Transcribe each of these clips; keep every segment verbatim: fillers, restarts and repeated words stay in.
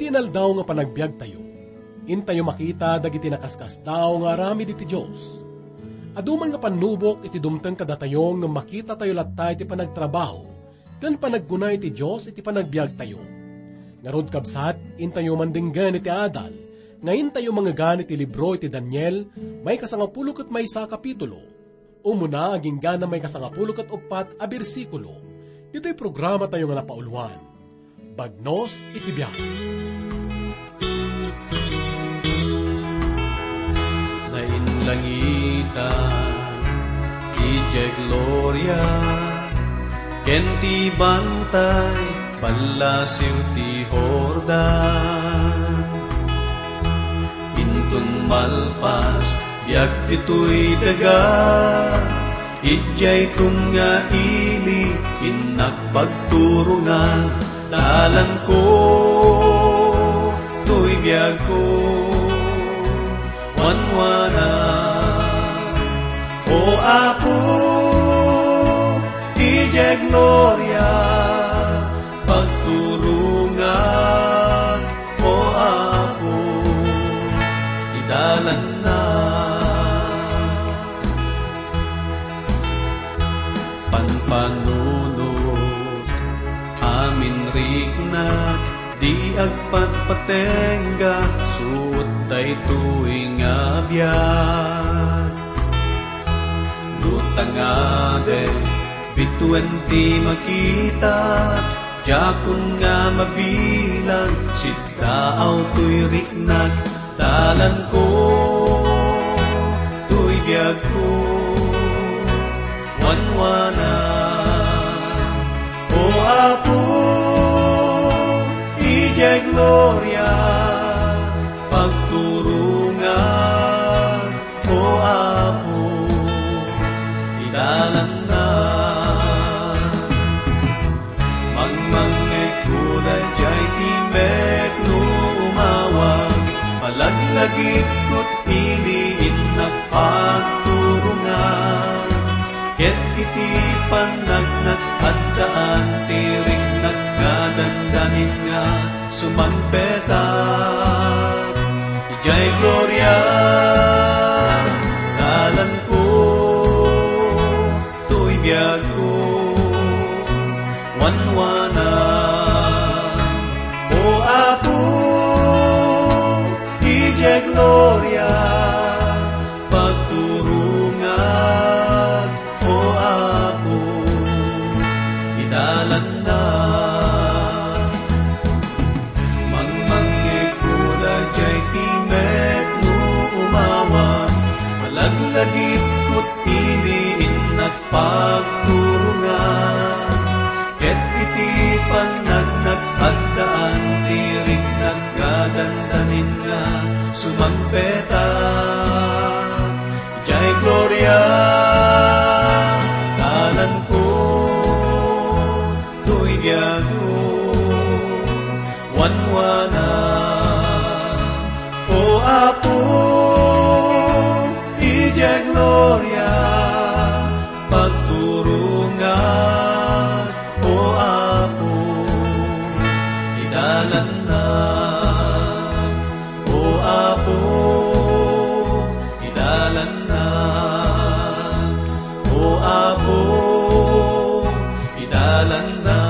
Inaldaw nga panagbiagtayo, intayo makita dagiti nakaskasdaaw nga aramid iti Dios. Adu man nga pannubok iti dumteng kadatayo ngem makitatayo latta iti panagtrabaho ken panagkuna iti Dios iti panagbiagtayo. Ngarud, kabsat, intayo mandenggen iti adal nga intayo mangegan iti libro iti Daniel, maikasangapulo ket maysa a kapitulo. Umuna agingga na maikasangapulo ket uppat a bersikulo. Ditoy programatayo nga napauluan, Bagnos iti Biag. Nainlangitan idiay gloria, ken ti bantay ballasiw ti Jordan. Inton malpas, biag ditoy daga, idiay kun nga ili, innak pagturongan, dalanko toy biagko, wanwana. O Apo, idiay gloria, pagturongan, O Apo, idalanna. Panpanunot, amin riknak, di agpatpatengga, suot daytoy nga biag. No tangaden, bituen ti makita, diakon nga mabilang, siddaaw toy riknak, dalanko toy biagko, wanwana. O Apo, idiay gloria, pagturongan, O Apo, idalanna. Mangmangngegko daydiay timek no umawag, malaglagipko ti ili, innak pagturongan. Ket iti pannaknak, addaan ti riknak nga dandanin nga sumangpetak. Idiay gloria, dalanko, toy biagko, wanwana. O Apo, idiay gloria, pagturongan, O Apo, idalanna. Mangmangngegko daydiay timek no umawag, malaglagipko ti ili, innak pagturongan. Ket iti pannaknak, addaan ti riknak nga dandanin nga sumangpetak. Idiay gloria, dalanko, toy biagko, wanwana. O Apo, idiay gloria, pagturongan, O Apo, idalanna. O Apo, idalanna. O Apo, idalanna.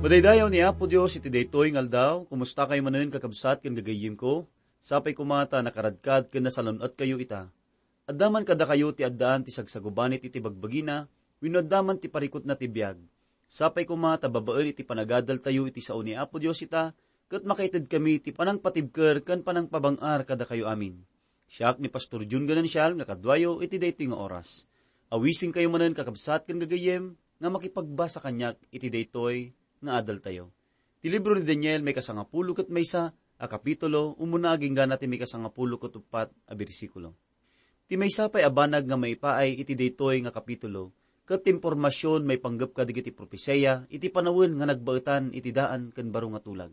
Madaydayaw ni Apo Dios iti daytoy nga aldaw. Kumusta kayo manen, kakabsat ken gagayyemko? Sapay koma ta nakaradkad ken nasalun-etkayo ita. Adda man kadakayo ti addaan ti sagsagubanit iti bagbagina, wenno adda man ti parikutna ti biag. Sapay koma ta babaen iti panagadaltayo iti sao ni Apo Dios ita, ket makaitedkami ti panangpatibker ken panangpabang-ar kadakayo amin. Siak ni Pastor Jun Ganancial nga kaduayo iti daytoy nga oras. Awisenkayo manen, kakabsat ken gagayyem, nga makipagbasa kaniak iti daytoy nga adaltayo. Ti libro ni Daniel, maikasangapulo ket maysa a kapitulo, umuna agingga na ti maikasangapulo ket uppat a bersikulo. Ti maysa pay a banag nga maipaay iti daytoy nga kapitulo, ket ti impormasion maipanggep kadagiti propesia iti panawen nga nagbaetan iti daan ken baro nga tulag.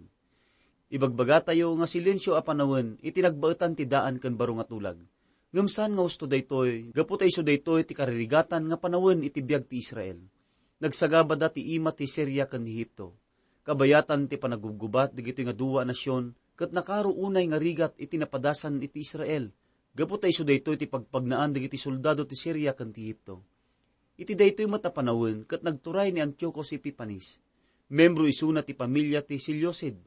Ibagbagatayo nga silensio a panawen iti nagbaetan ti daan ken baro nga tulag. Ngem saan nga husto daytoy, gapu ta isu daytoy ti karirigatan nga panawen iti biag ti Israel. Nagsagabada ti ima ti Siria ken Ehipto. Kabayatan ti panagubgubat dagitoy nga dua a nasion, ket nakaro unay nga rigat iti napadasan iti Israel, gapu ta isu daytoy ti pagpagnaan dagiti soldado ti Siria ken ti Ehipto. Iti daytoy met a panawen ket nagturay ni Antiochus Epifanes. Membro isuna ti pamilia ti Seleucid.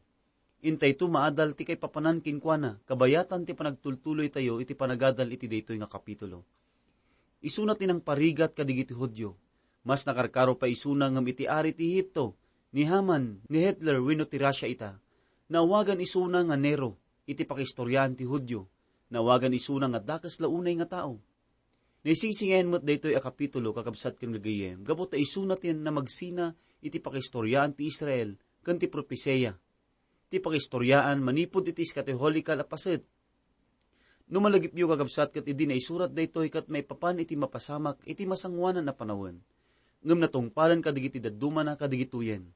Intayto maadal ti kaipapanan kenkuana, kabayatan ti panagtultuloytayo iti panagadal iti daytoy nga kapitulo. Isuna ti nangparigat kadagiti Judio. Mas nakarkaro pay isuna ngem iti ari ti Ehipto, ni Haman, ni Hitler wenno ti Russia ita. Naawagan isuna nga Nero iti pakaistoriaan ti Judio. Naawagan isuna nga dakes la unay nga tao. Naisingsingayan met daytoy a kapitulo, kakabsat ken gagayyem, gapu ta isuna ti namagsina iti pakaistoriaan ti Israel ken ti propesia. Ti pakaistoriaan manipud iti eschatological a paset. No malagipyo, kakabsat, ket idi naisurat daytoy ket maipapan iti mapasamak iti masangoanan a panawen, ngem natungpalen kadagiti daddumana kadigitoyen.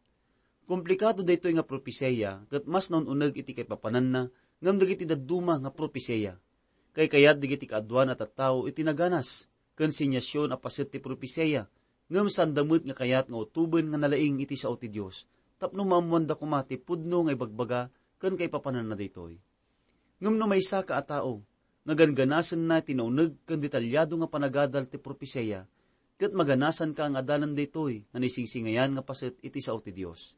Komplikado daytoy nga propesia ket mas naun-uneg iti kaipapananna ngem dagiti dadduma nga propesia. Kaykayat dagiti kaaduan a tattao iti naganas ken siniasion a paset ti propesia, ngem saanda met nga kayat nga utoben nga nalaing iti sao ti Dios, tapno maammoanda koma ti pudno nga ibagbaga ken kaipapananna daytoy. Ngem no maysaka a tao nga ganganasenna ti nauneg ken detalyado nga panagadal ti propesia, ket maganasanka nga adalan daytoy nga naisingsingayan nga paset iti sao ti Dios.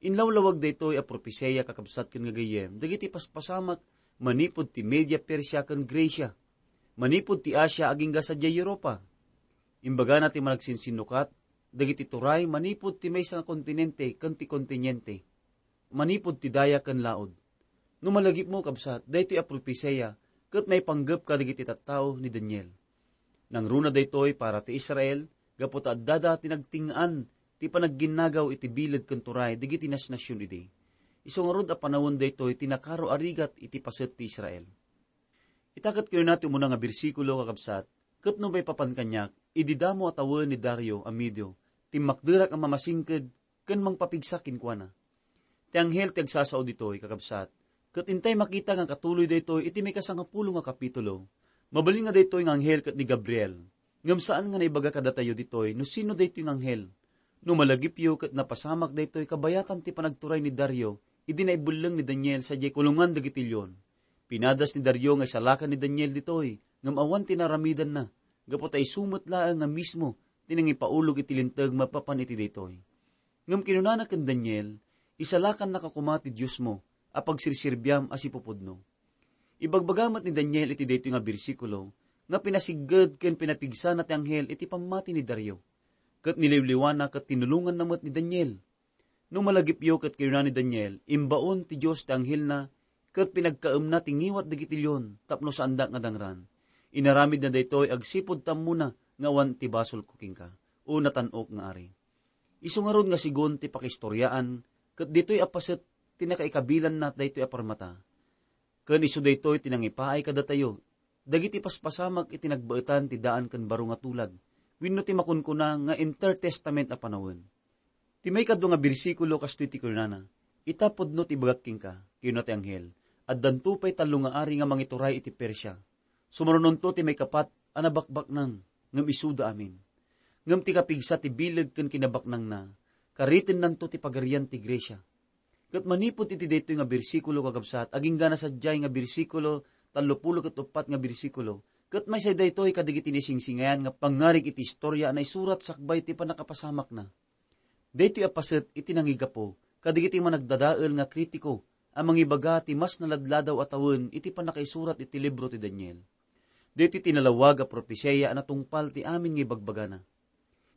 Inlawlawag daytoy a propesia, kakabsat ken gagayyem, dagiti paspasamak manipud ti Media Persia ken Grecia, manipud ti Asia agingga sadiay Europa. Imbagana ti managsinsinnukat dagiti turay manipud ti maysa nga kontinente ken ti kontinente, manipud ti daya ken laud. No malagipmo, kabsat, daytoy a propesia ket maipanggep kadagiti tattao ni Daniel. Nangruna daytoy para ti Israel, gapu ta addada ti nagting-an ti panagginnagaw iti bileg ken turay dagiti nasnasion idi. Isu ngarud a panawen daytoy ti nakaro a rigat iti paset ti Israel. Ita ket kunana ti umuna nga bersikulo, kakabsat, ket no maipapan kaniak, idi damo a tawen ni Dario a Medio, timmakderak a mamasingked ken mangpapigsa kenkuana. Ti anghel ti agsasao ditoy, kakabsat, ket intay makita nga katuloy daytoy iti maikasangapulo nga kapitulo. Mabalin nga daytoy nga anghel ket ni Gabriel. Ngem saan nga naibaga kadatayo ditoy no sino daytoy nga anghel. No malagipyo ket napasamak daytoy kabayatan ti panagturay ni Dario idi naibelleng ni Daniel sadiay kulongan dagiti leon. Pinadas ni Dario nga isalakan ni Daniel ditoy, ngem awan ti naaramidanna, gapu ta isu met laeng nga mismo ti nangipaulog iti linteg maipapan iti daytoy. Ngem kinunana ken Daniel, "Isalakannaka koma ti Diosmo a pagserserbiam a sipupudno." Ibagbaga met ni Daniel iti daytoy nga bersikulo nga pinasigged ken pinapigsana ti anghel iti pammati ni Dario. Ket niliwliwana ket tinulonganna met ni Daniel. No malagipyo ket kinuna ni Daniel, "Imbaon ti Dios ti anghelna ket pinagkaemna ti ngiwat dagiti leon tapno saandak nga dangran. Inaramidna daytoy agsipud ta ammona nga awan ti basolko kenka, o natan-ok nga ari." Isu ngarud nga sigun ti pakaistoriaan, ket ditoy a paset ti nakaikabilanna daytoy a parmata. Ken isu daytoy ti nangipaay kadatayo, dagiti paspasamak iti nagbaetan ti daan ken baro nga tulag, wenno ti makunkuna nga intertestament a panawen. Ti maikadua nga bersikulo kastoy ti kunana, "Ita pudno ti ibagak kenka," kinuna ti anghel, "addanto pay tallo nga ari nga mangituray iti Persia. Sumarunonto ti maikapat a nabakbaknang, ngem isuda amin. Ngem ti kapigsa ti bileg ken kinabaknangna, karitennanto ti pagarian ti Grecia." Ket manipud iti daytoy nga bersikulo, kakabsat, agingga na sadiay nga bersikulo, tallopulo ket uppat nga bersikulo, ket maysa daytoy kadagiti naisingsingayan nga pangngarig iti historia a naisurat sakbay ti pannakapasamakna. Daytoy a paset iti nangigapu kadagiti managdadael nga kritiko a mangibaga ti mas naladladaw a tawen iti pannakaisurat iti libro ti Daniel. Daytoy ti nalawag a propesiya a natungpal ti amin nga ibagbagana.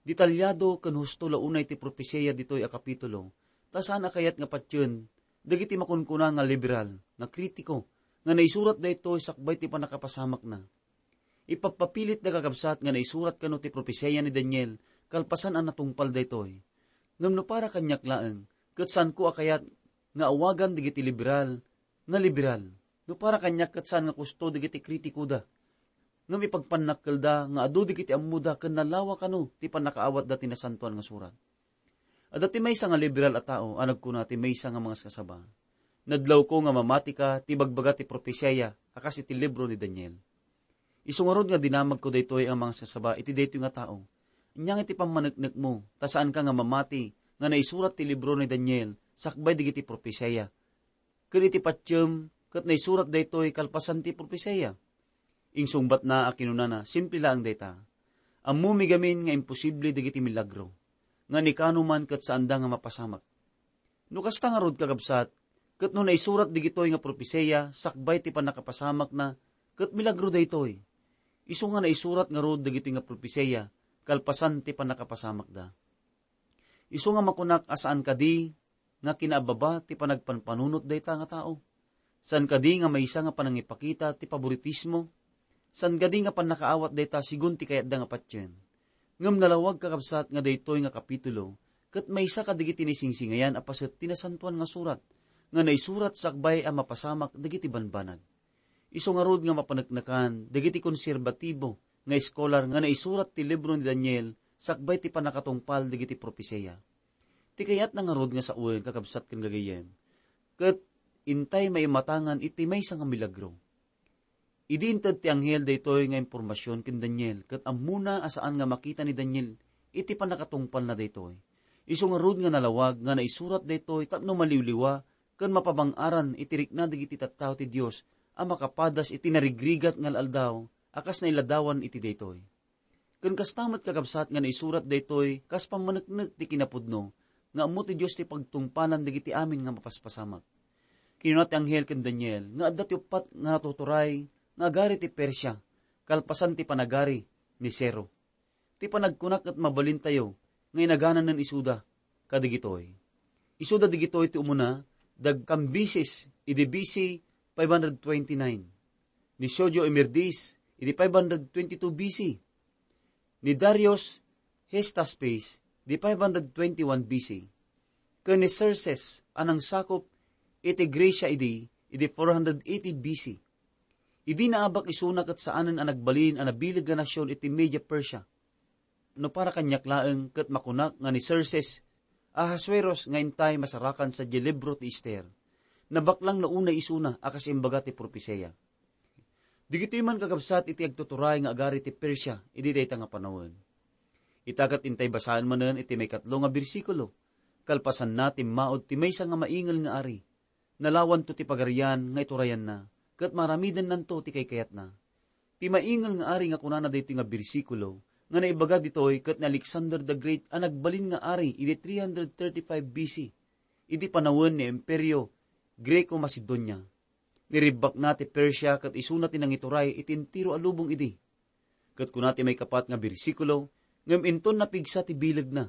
Detalyado ken husto la unay ti propesiya ditoy a kapitulo, ta saan a kayat nga patien dagiti makunkuna nga liberal, nga kritiko, nga naisurat daytoy sakbay ti pannakapasamakna. Ipappapilit da, kakabsat, nga naisurat kano ti propesiya ni Daniel kalpasan a natungpal daytoy. Ngem no para kaniak laeng, ket saanko a kayat nga awagan dagiti liberal nga liberal. No para kaniak, ket saan nga kusto dagiti kritikoda. Ngem ipagpannakkelda nga adu dagiti ammoda ken nalawa kano ti pannakaawatda ti Nasantoan nga Surat. Adda ti maysa nga liberal a tao a nagkuna ti maysa nga mangaskasaba, "Nadlawko nga mamatika ti ibagbaga ti propesiya a kas iti libro ni Daniel." Isu ngarud nga dinamagko daytoy a mangisasaba iti daytoy nga tao. Ania nga iti pammaneknekmo, ta saanka nga mamati nga naisurat ti libro ni Daniel sakbay dagiti propesia, ken iti patiem ket naisurat daytoy kalpasan ti propesia? Insungbatna a kinunana, simple laeng dayta. Ammomi gamin nga imposible dagiti milagro, nga ni kano man ket saanda nga mapasamak. No kasta ngarud, kakabsat, ket no naisurat dagitoy nga propesia sakbay ti pannakapasamakna, ket milagro daytoy. Isu nga naisurat ngarud dagitoy nga propesia kalpasan ti pannakapasamakda. Isu nga makunak a saan kadi nga kinaababa ti panagpanpanunot dayta nga tao. Saan kadi nga maysa nga panangipakita ti paboritismo. Saan kadi nga pannakaawat dayta sigun ti kayatda nga patien. Ngem nalawag, kakabsat, nga daytoy nga kapitulo ket maysa kadagiti naisingsingayan a paset ti Nasantoan nga Surat nga naisurat sakbay a mapasamak dagiti banbanag. Isu ngarud nga mapaneknekan dagiti konserbatibo nga eskolar nga naisurat ti libro ni Daniel sakbay ti pannakatungpal dagiti propesia. Ti kayatna ngarud nga sawen, kakabsat ken gagayyem, ket intay maimatangan iti maysa nga milagro. Idi inted ti anghel daytoy nga impormasion ken Daniel, ket ammona a saan nga makita ni Daniel iti pannakatungpalna daytoy. Isu ngarud nga nalawag nga naisurat daytoy tapno maliwliwa ken mapabang-aran iti rikna dagiti tattao ti Dios a makapadas iti narigrigat nga al-aldaw a kas nailadawan iti daytoy. Ken kasta met, kakabsat, nga naisurat daytoy kas pammaneknek ti kinapudno nga ammo ti Dios ti pagtungpalan dagiti amin nga mapaspasamak. Kinuna ti anghel ken Daniel nga adda ti uppat nga natuturay nga agari ti Persia, kalpasan ti panagari ni Ciro. Ti panagkunak ket mabalintayo nga inagananen isuda kadagitoy. Isuda dagitoy ti umuna, da Cambises idi B C five hundred twenty-nine, ni Siogio Emerdis idi five hundred twenty-two B C, ni Darius Hystaspes idi five hundred twenty-one B C, ken ni Xerxes a nangsakup iti Grecia idi, idi four hundred eighty B C. Idi naabak isuna ket saanen a nagbalin a nabileg nga nasion iti Media Persia. No para kaniak laeng, ket makunak nga ni Xerxes Ahasuerus nga intay masarakan sadiay libro ti Ester, nabaklang no unay isuna a kas imbaga ti propesia. Dagitoy man, kakabsat, iti agtuturay nga agari ti Persia idi dayta nga panawen. Ita ket intay basaen manen iti maikatlo nga bersikulo. Kalpasanna, timmaud ti maysa nga maingel nga ari. Nalawanto ti pagarian nga iturayanna, ket maaramidennanto ti kaykayatna. Ti maingel nga ari nga kunana daytoy nga bersikulo nga naibaga ditoy ket ni Alexander the Great a nagbalin nga ari idi three hundred thirty-five B C, idi panawen ni Imperio Greco-Macedonia. Niribbakna ti Persia ket isuna ti nangituray iti entero a lubong idi. Ket kuna ti maikapat nga bersikulo, ngem inton napigsa ti bilegna,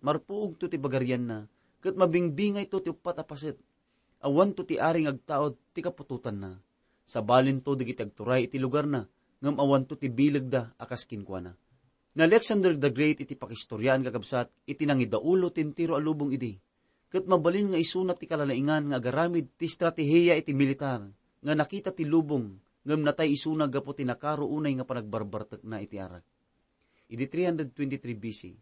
marpuogto ti pagarianna, ket mabingbingayto ti uppat a paset. Awanto ti ari nga agtaud ti kaputotanna. Sabalinto dagiti agturay iti lugarna, ngem awanto ti bilegda a kas kenkuana. Ni Alexander the Great iti pakistoriaan, kakabsat, iti nangidaulo ti entero a lubong idi. Ket mabalin nga isuna ti kalalaingan nga agaramid ti estratehiya iti militar nga nakita ti lubong, ngem natay isuna gapu ti nakaro unay nga panagbarbartekna iti arak. Idi three hundred twenty-three B C,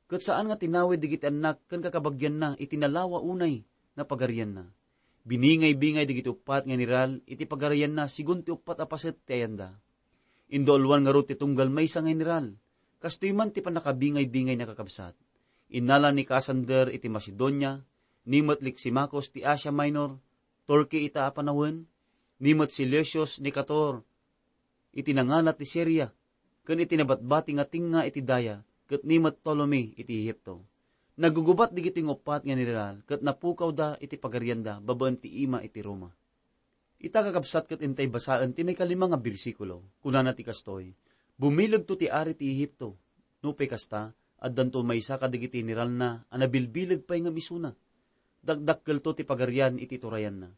ket saan nga tinawid dagiti annak ken kakabagianna iti nalawa unay nga pagarianna. Biningay-bingay dagiti uppat nga general iti pagarianna sigun ti uppat a paset ti ayanda. Indauluan ngarud ti tunggal maysa nga general. Kastoy man ti pannakabingay-bingay, nakakabsat. Innala ni Cassander iti Macedonia, ni met Lysimachus ti Asia Minor, Turkey ita a panawen, ni met Seleucus Nicator iti nangala ti Siria, ken iti nabatbati nga tengnga iti daya, ket ni met Ptolemy iti Ehipto. Nagugubat dagitoy nga uppat nga general ket napukawda iti pagarianda babaen ti ima iti Roma. Ita, kakabsat, ket intay basaen ti maikalima nga bersikulo. Kunana ti kastoy, "Bumilegto ti ari ti Ehipto." Nupay kasta, addanto maysa kadagiti generalna a nabilbileg pay ngem isuna. Dakdakkelto ti pagarian iti turayanna.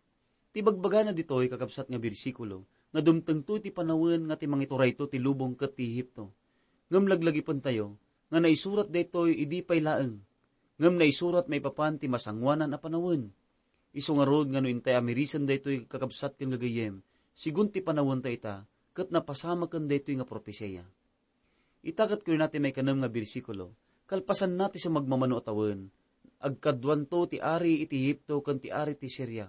Ti bagbagana ditoy, kakabsat, nga bersikulo, nga dumtengto iti panawen nga ti mangiturayto ti lubong ket ti Ehipto. Ngem laglagipentayo nga naisurat daytoy idi pay laeng, ngem naisurat maipapan ti masangoanan a panawen. Isu ngarud nga no intay amirisen daytoy, kakabsat ken gagayyem, sigun ti panawenta ita, ket napasamaken daytoy nga propesia. Ita ket kunana ti maikanem nga bersikulo, "Kalpasanna ti sumagmamano a tawen, agkaduanto ti ari iti Ehipto ken ti ari ti Siria.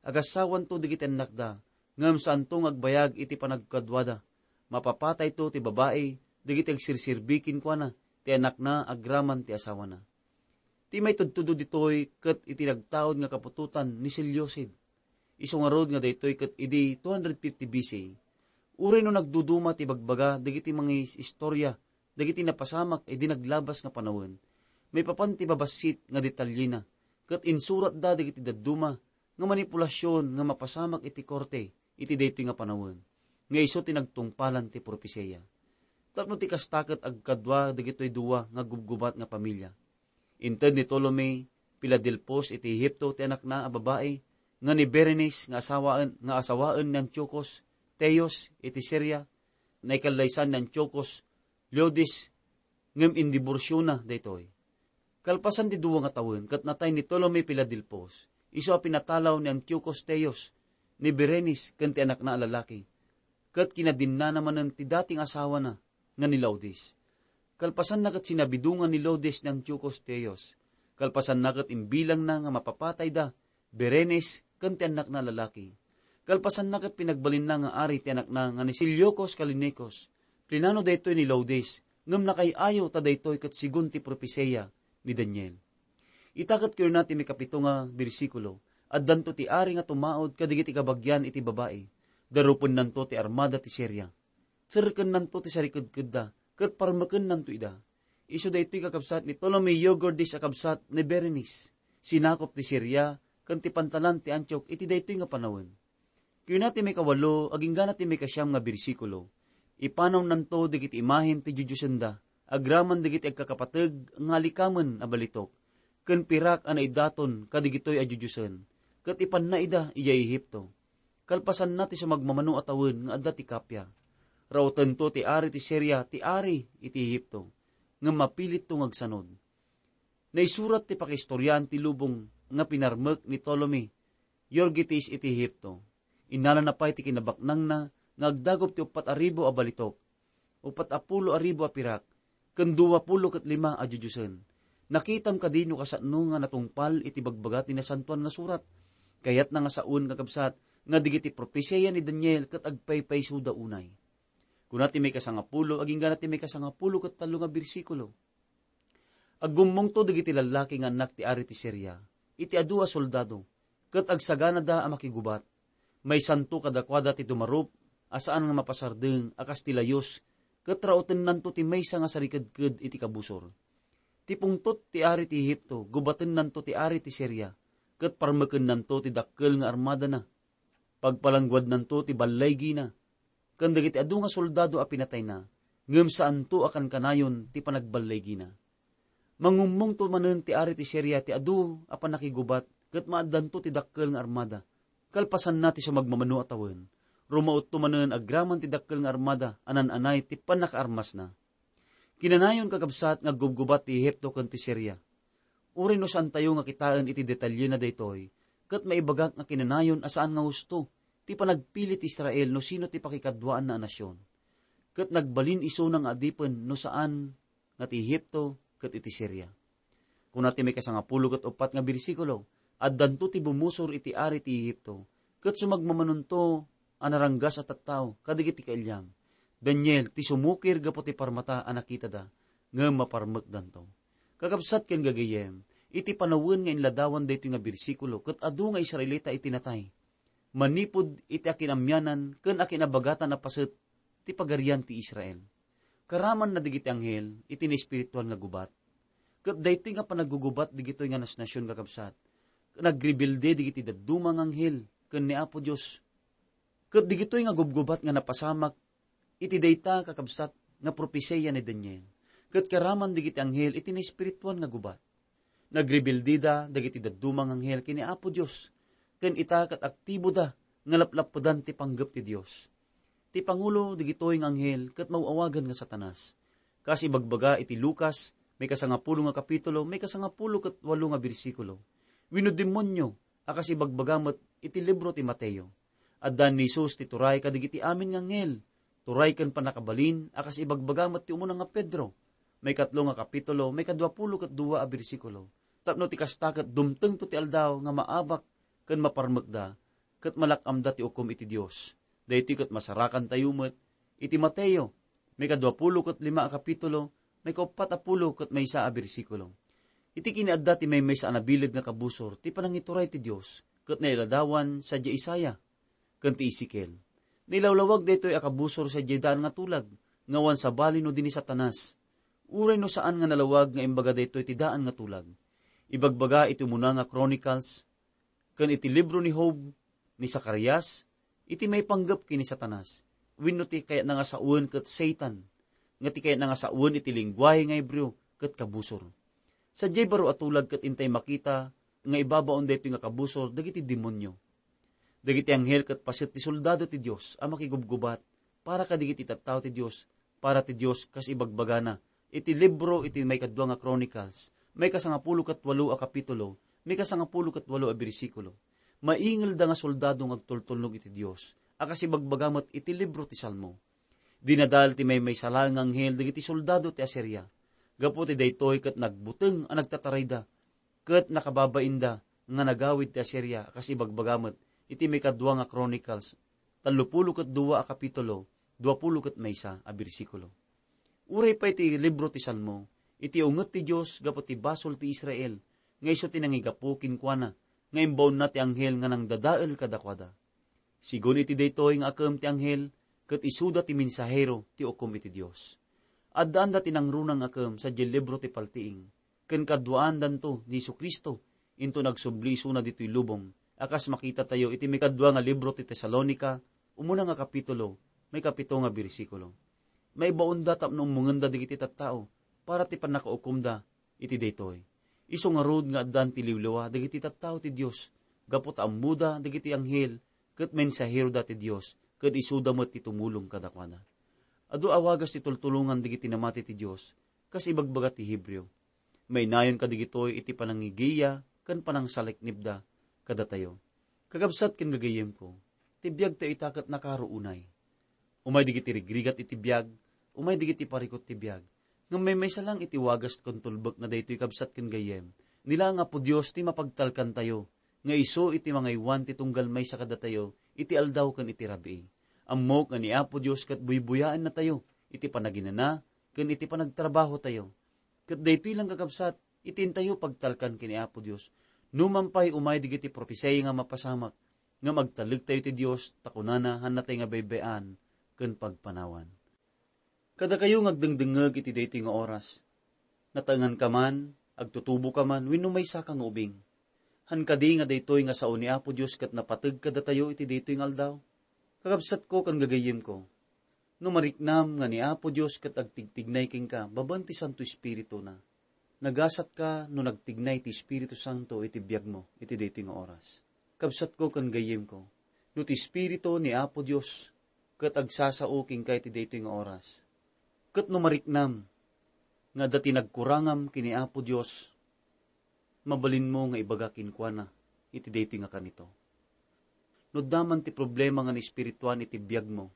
Agassawanto dagiti annakda, ngem saanto nga agbayag iti panagkaduada. Mapapatayto ti babai dagiti agsirserbi kenkuana ti anakna agraman ti asawana. Ti maitudtudo ditoy ket iti nagtaud nga kaputotan ni Seleucid. Isu ngarud nga daytoy ket idi two hundred fifty B C, uray no nagduduma ti bagbaga dagiti mangiistorya dagiti napasamak idi naglabas nga panawen, maipapan ti babassit nga detalyena, ket insuratda dagiti dadduma nga manipulasion nga mapasamak iti korte iti daytoy nga panawen, nga isu ti nagtungpalan ti propesia. Tapno ti kasta ket agkadua dagitoy dua nga gubgubat nga pamilia. Inted ni Ptolemy Filadelfos iti Ehipto ti anakna a babai nga ni Berenice nga asawaen, nga asawaen ni Antiochus Teos iti Siria, naikallaysan ni Antiochus Laodice, ngem indiborsiona daytoy. Kalpasan ti dua nga tawen, ket natay ni Ptolemy Filadelfos, isu a pinatalaw ni Antiochus Teos, ni Berenice ken ti anakna a lalaki, ket kinadinnana manen ti dati nga asawana nga ni Laodice. Kalpasanna ket sinabidongan ni Laodice ni Antiochus Teos. Kalpasanna ket imbilangna nga mapapatayda, Berenice ken ti annakna a lalaki. Kalpasanna ket pinagbalinna nga ari ti anakna nga ni Seleucus Callinicus. Plinano daytoy ni Laodice, ngem nakay-ayo ta daytoy ket segun ti propesia ni Daniel. Ita ket kunana ti maikapito nga bersikulo, addanto ti ari nga tumaud kadagiti kabagian iti babai. Darupennanto ti armada ti Siria. Serkennanto ti sarikedkedda, ket parmekennanto ida. Isu daytoy kakabsat ni Ptolemy Euergetes a kabsat ni Berenice, sinakop ti Siria ken ti pantalan ti Antioch iti daytoy nga panawen. Kuna ti maikawalo agingga na ti maikasiam nga bersikulo, ipanawnanto dagiti imahen ti dioddiosenna, agraman dagiti agkakapateg nga alikamen a balitok, ken pirak a naidaton kadagitoy a dioddiosen, ket ipanna ida idiay Ehipto. Kalpasanna ti sumagmamano a tawen nga adda ti kappia, rautento ti ari ti Siria ti ari iti Ehipto, ngem mapilitto nga agsanod. Naisurat ti pakiistoriaan ti lubong nga pinarmek ni Ptolemy Euergetes iti Ehipto. Innalana pay ti kinabaknangna nga agdagop ti uppat a ribu a balitok, uppat a pulo a ribu a pirak, ken dua pulo ket lima a dioddiosen. Nakitam kadi no kasano nga natungpal iti bagbaga ti Nasantoan nga Surat? Kayatna nga saoen, kakabsat, nga dagiti propesia ni Daniel ket agpaypaysoda unay. Kuna ti maikasangapulo agingga na ti maikasangapulo ket tallo nga bersikulo, Aggummongto dagiti lallaki nga annak ti ari ti Siria iti adu a soldado, ket agsaganada a makigubat. Maysanto kadakuada ti dumarup a saan nga mapasardeng a kas ti layus, ket rautennanto ti maysa nga sarikedked iti kabusor. Ti pungtot ti ari ti Ehipto, gubatennanto ti ari ti Siria, ket parmekennanto ti dakkel nga armadana. Pagpalangguadnanto ti balligina, ken dagiti adu nga soldado a pinatayna, ngem saanto a kankanayon ti panagballigina. Mangummongto manen ti ari ti Siria ti adu a pannakigubat ket maaddanto ti dakkel nga armada. Kalpasanna ti sumagmamano a tawen, rumautto manen agraman ti dakkel nga armada a nan-anay ti pannakaarmasna. Kinanayon, kakabsat, nga aggubgubat ti Ehipto ken ti Siria. Uray no saantayo nga kitaen iti detalyena daytoy, ket maibagak nga kinanayon a saan nga husto ti panagpili ti Israel no sino ti pakikaduaanna a nasion. Ket nagbalin isuna nga adipen no saan nga ti Ehipto ket iti Siria. Kuna ti maikasangapulo ket uppat nga bersikulo, addanto ti bumusor iti ari ti Ehipto, ket sumagmamanonto a naranggas a tattao kadagiti kailiam. Daniel ti sumukir gapu ti parmata a nakitada, ngem maparmekdanto. Kakabsat ken gagayyem, iti panawen nga inladawan daytoy nga bersikulo, ket adu nga Israelita iti natay, manipud iti akin-amianan ken akin-abagatan a paset ti pagarian ti Israel. Karamanna dagiti anghel iti naespirituan nga gubat. Ket daytoy nga panaggugubat dagitoy nga nasnasion, kakabsat, nagrebelde dagiti dadduma nga anghel ken ni Apo Dios. Ket dagitoy nga gubgubat nga napasamak iti dayta, kakabsat, nga propesia ni Daniel. Ket karaman dagiti anghel iti naespirituan nga gubat. Nagrebelde da dagiti dadduma nga anghel ken ni Apo Dios, ken ita ket aktiboda nga laplapudan ti panggep ti Dios. Ti pangulo dagitoy nga anghel ket maaw-awagan nga Satanas. Kas ibagbaga iti Lucas, maikasangapulo nga kapitulo, maikasangapulo ket walo nga bersikulo, wenno demonio a kas ibagbaga met iti libro ti Mateo. Addan ni Jesus ti turay kadagiti amin nga anghel, turay ken pannakabalin a kas ibagbaga met ti umuna nga Pedro, maikatlo nga kapitulo, maikaduapulo ket dua a bersikulo. Tapno ti kasta ket dumtengto ti aldaw nga maabak ken maparmekda, ket malak-amda ti ukom iti Dios. Daytoy ket masarakantayo met Iti Mateo, maikadua pulo ket lima a kapitulo, maikauppat a pulo ket maysa a bersikulo. Iti kinaadda ti maymaysa a nabileg nga kabusor ti panangituray ti Dios, ket nailadawan sadiay Isaiah ken ti Ezekiel. Nailawlawag daytoy a kabusor sadiay daan nga tulag, nga awan sabali no di ni Satanas. Uray no saan nga nalawag nga imbaga daytoy ti daan nga tulag. Ibagbaga iti umuna nga Chronicles, ken iti libro ni Job, ni Zacarias, iti maipanggep ken ni Satanas, wenno ti kayatna nga sawen ket Satan, nga ti kayatna nga sawen iti lengguahe nga Hebreo ket kabusor. Sadiay baro a tulag ket intay makita nga ibabaon daytoy nga kabusor dagiti demonio. Dagiti anghel ket paset ti soldado ti Dios a makigubgubat para kadagiti tattao ti Dios, para ti Dios, kas ibagbagana iti libro iti maikadua nga Chronicles, maikasangapulo ket walo a kapitulo, maikasangapulo ket walo a bersikulo. Maingelda nga soldado nga agtultulnog iti Dios, a kas ibagbaga met iti libro ti Salmo. Dinadal ti maymaysa laeng nga anghel dagiti soldado ti Asiria. Gapu ti daytoy ket nagbuteng a nagtatarayda, ket nakababainda nga nagawid ti Asiria, a kas ibagbaga met iti maikadua nga Chronicles, tallopulo ket dua a kapitulo, duapulo ket maysa a bersikulo. Uray pay ti libro ti Salmo, iti unget ti Dios gapu ti basol ti Israel, nga isu ti nangigapu kenkuana, nga imbaonna ti anghel nga nangdadael kadakuada. Sigun iti daytoy nga akem ti anghel, ket isuda ti mensahero ti ukom iti Dios. Addaanda ti nangruna nga akem sadiay libro ti paltiing, ken kaduaandanto ni Jesu-Cristo, inton agsubli isuna ditoy lubong, a kas makitatayo iti maikadua nga libro ti Tesalonica, umuna nga kapitulo, maikapito nga bersikulo. Maibaonda tapno ummongenda dagiti tattao para ti pannakaukomda iti daytoy. Isu ngarud nga addan ti liwliwa dagiti tattao ti Dios, gapu ta ammoda dagiti anghel ket mensaheroda ti Dios, ket isuda met ti tumulong kadakuada. Adu a wagas ti tultulongan dagiti namati ti Dios, kas ibagbaga ti Hebreo. Mainayon kadagitoy iti panangigiya ken panangsaliknibda kadatayo. Kakabsat ken gagayyemko, ti biagtayo ita ket nakaro unay. Umay dagiti rigrigat iti biag, umay dagiti parikut ti biag. Ngem maymaysa lang iti wagas ken tulbek nga daytoy, kabsat ken gayyem. Ni laeng Apo Dios ti mapagtalkantayo, nga isu iti mangaywan ti tunggal maysa kadatayo iti aldaw ken iti rabii. Ammok nga ni Apo Dios ket buybuyaennatayo iti panaginana ken iti panagtrabahotayo. Ket daytoy lang, kakabsat, iti intayo pagtalkan ken ni Apo Dios. Numan pay umay dagiti propisay nga mapasamak, ngem agtalektayo ti Dios, ta kunana, hannatay nga baybay-an ken pagpanawan. Kadakayo nga agdengdengngeg iti daytoy nga oras, nataenganka man, agtutuboka man, wenno maysaka nga ubing. Han kadi nga daytoy nga sao ni Apo Dios ket napateg kadatayo iti daytoy nga aldaw? Kakabsatko ken gagayyemko, no mariknam nga ni Apo Dios ket agtigtignay kenka babaen ti Santo Espirituna, nagasatka no nagtignay ti Espiritu Santo iti biagmo iti daytoy nga oras. Kabsatko ken gayyemko, no ti Espiritu ni Apo Dios ket agsasao kenka iti daytoy nga oras, ket no mariknam nga adda ti nagkurangam ken ni Apo Dios, mabalinmo nga ibaga kenkuana iti daytoy nga kanito. No adda man ti problema nga naespirituan iti biagmo,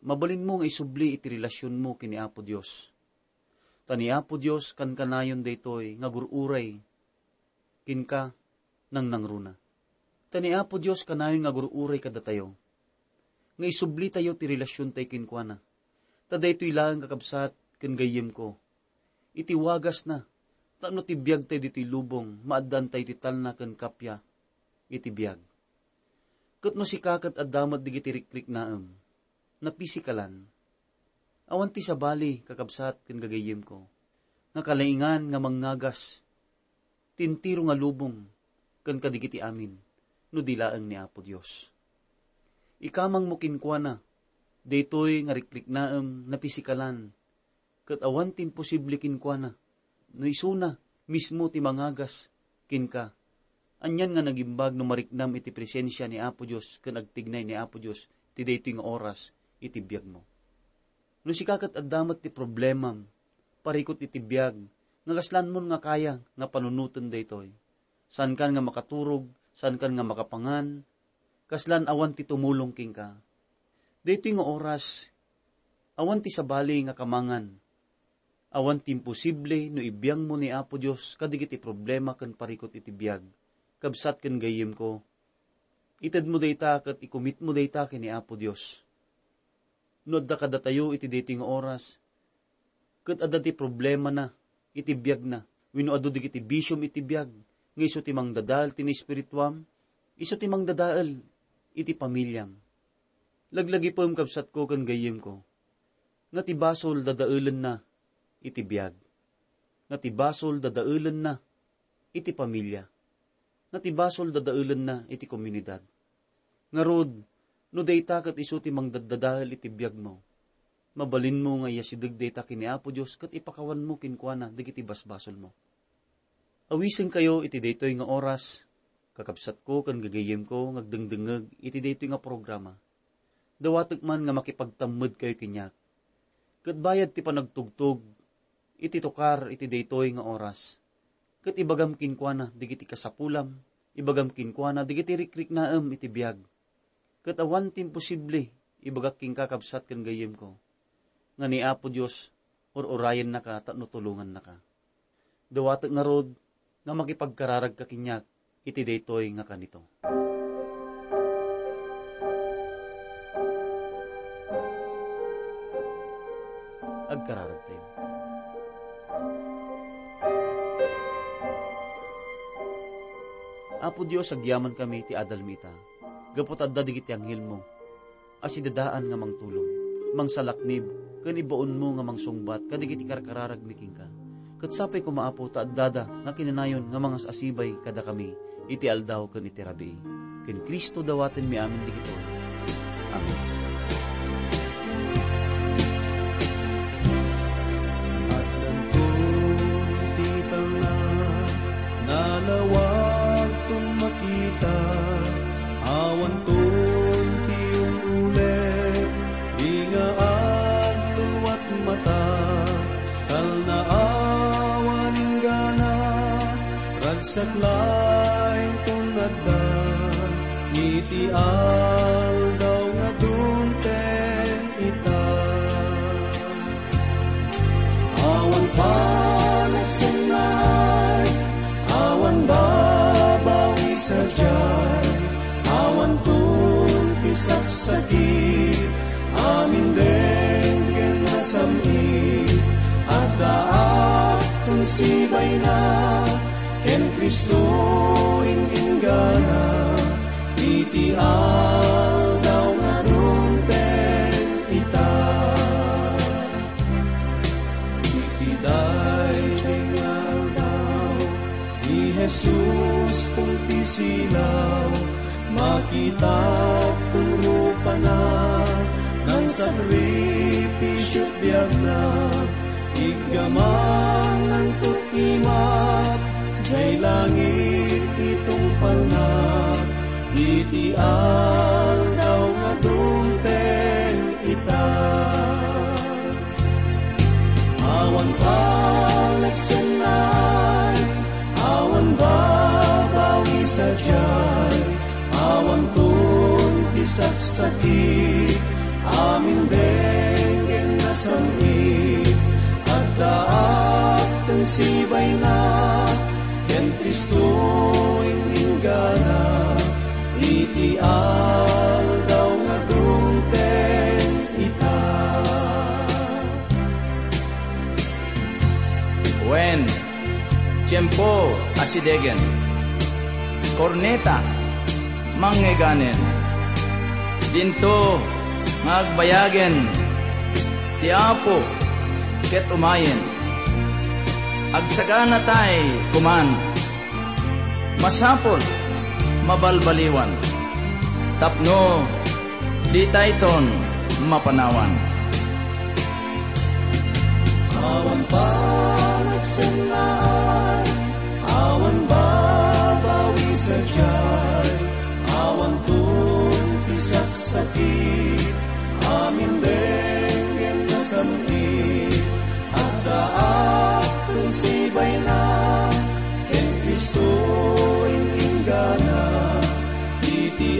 mabalinmo nga isubli iti relasionmo ken ni Apo Dios. Ta ni Apo Dios kankanayon daytoy nga agur-uray kenka nangnangruna. Ta ni Apo Dios kanayon nga agur-uray kadatayo, nga isublitayo ti relasiontayo kenkuana. Ta daytoy laeng, kakabsat ken gayyemko, iti wagasna, tapno ti biagtayo ditoy lubong, maaddaantayo ti talna ken kappia iti biag. Ket no sika ket adda met dagiti rikriknaem, napisikalan, awan ti sabali, kakabsat ken gagayyemko, nga kalaingan nga mangngagas ti entero nga lubong ken kadagiti amin, no di laeng ni Apo Dios. Ikamangmo kenkuana daytoy nga rikriknaem, napisikalan, ket awan ti imposible kenkuana. No isuna mismo ti mangagas kenka, anian nga nagimbag no mariknam iti presensia ni Apo Dios ken agtignay ni Apo Dios ti daytoy nga oras iti biagmo. No sika ket adda met ti problemam, parikut iti biag, nga kaslanmon nga kaya nga panunoten daytoy. Saankan nga makaturog, saankan nga makapangan, kaslan awan ti tumulong kenka. Daytoy nga oras, awan ti sabali nga kamangan. Awan ti imposible no ibiangmo ni Apo Dios kadagiti problema ken parikut iti biag. Kabsat ken gayyemko, itedmo dayta ket ikumitmo dayta ken ni Apo Dios. No adda kadatayo iti daytoy nga oras, ket adda ti problemana iti biagna, wenno adu dagiti bisiom iti biag, nga isu ti mangdadael ti naespirituam, isu ti mangdadael iti pamiliam. Laglagipem, kabsatko ken gayyemko, nga ti basol dadaelenna iti biag, nga ti basol dadaelenna iti pamilia, nga ti basol dadaelenna iti komunidad. Ngarud, no dayta ket isu ti mangdaddadael iti biagmo, mabalinmo nga iyasideg dayta ken ni Apo Dios ket ipakawanmo kenkuana dagiti basbasolmo. Awisenkayo iti daytoy nga oras, kakabsatko ken gagayyemko nga agdengdengngeg iti daytoy nga programa. Dawatek man nga makipagtammedkayo kaniak. Ket bayad ti panagtugtog iti tukar iti daytoy nga oras, ket ibagam kenkuana dagiti kasapulam, ibagam kenkuana dagiti rikriknaem iti biag. Ket awan ti imposible, ibagak kenka, kabsat ken gayyemko, nga ni Apo Dios ur-urayennaka tapno tulongannaka. Dawatek ngarud nga makipagkararagka kaniak iti daytoy nga kanito. Agkararagtayo. Apo Dios, agyamankami ti adalmi ita, gapu ta adda dagiti anghelmo a sidadaan nga mangtulong, mangsalaknib, ken ibaonmo nga mangsungbat kadagiti karkararagmi kenka. Ket sapay koma, Apo, ta addada nga kinanayon nga mangas-asibay kadakami iti aldaw ken iti rabii. Ken Cristo dawatenmi amin dagitoy. Amen. Addanton ti talna, nalawagton makita, awanton ti ul-uleg, di nga agluluat mata, talna awan inggana, ragsak laeng ton adda, iti aldaw nga dumteng ita. Awan panagsennaay, awan babawi sadiay, awanton ti saksakit, amin denggen nasam-it. Addaak ton sibayna, ken Cristo in-inggana, iti aldaw nga dumteng ita. Iti daytoy nga aldaw, ni Jesus ton ti silaw, makitak ton rupana, nangsakripisio ti biagna, iggamangan tot imak, jay langit itungpalna, iti aldaw nga dumteng ita. Awan panagsennaay, awan babawi sadiay, awanton ti saksakit, amin denggen nasam-it. Addaak ton sibayna, ken Cristo in-inggana, iti aldaw nga dumteng ita. Wen, tiempo a sidegen, korneta, mangngeganen. Dinto nga agbayagen ti Apo ket umayen. Agsaganatay koman. Masapul, mabalbaliwan, tapno ditayton mapanawan. Awan panagsennaay, awan babawi sadiay, awan ton ti saksakit, amin denggen nasam-it. Addaak ton sibayna, ken Cristo in-inggana, iti